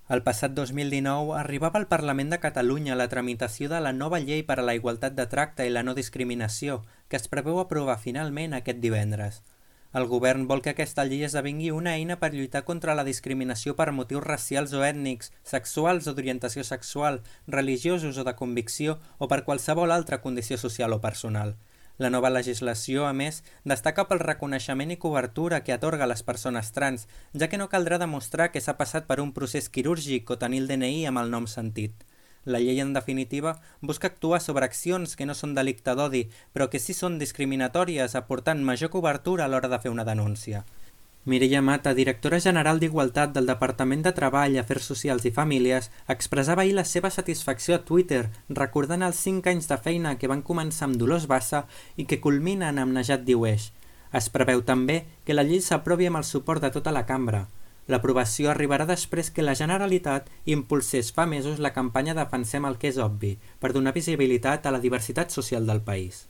El passat 2019 arribava al Parlament de Catalunya la tramitació de la nova llei per a la igualtat de tracte i la no discriminació, que es preveu aprovar finalment aquest divendres. El govern vol que aquesta llei esdevingui una eina per lluitar contra la discriminació per motius racials o ètnics, sexuals o d'orientació sexual, religiosos o de convicció o per qualsevol altra condició social o personal. La nova legislació, a més, destaca pel reconeixement i cobertura que atorga a les persones trans, ja que no caldrà demostrar que s'ha passat per un procés quirúrgic o tenir el DNI amb el nom sentit. La llei, en definitiva, busca actuar sobre accions que no són delicte d'odi, però que sí són discriminatòries, aportant major cobertura a l'hora de fer una denúncia. Mireia Mata, directora general d'Igualtat del Departament de Treball, Afers Socials i Famílies, expressava ahir la seva satisfacció a Twitter, recordant els 5 anys de feina que van començar amb Dolors Bassa i que culminen amb Najat Diueix. Es preveu també que la llei s'aprovi amb el suport de tota la cambra. L'aprovació arribarà després que la Generalitat impulsés fa mesos la campanya Defensem el que és obvi, per donar visibilitat a la diversitat social del país.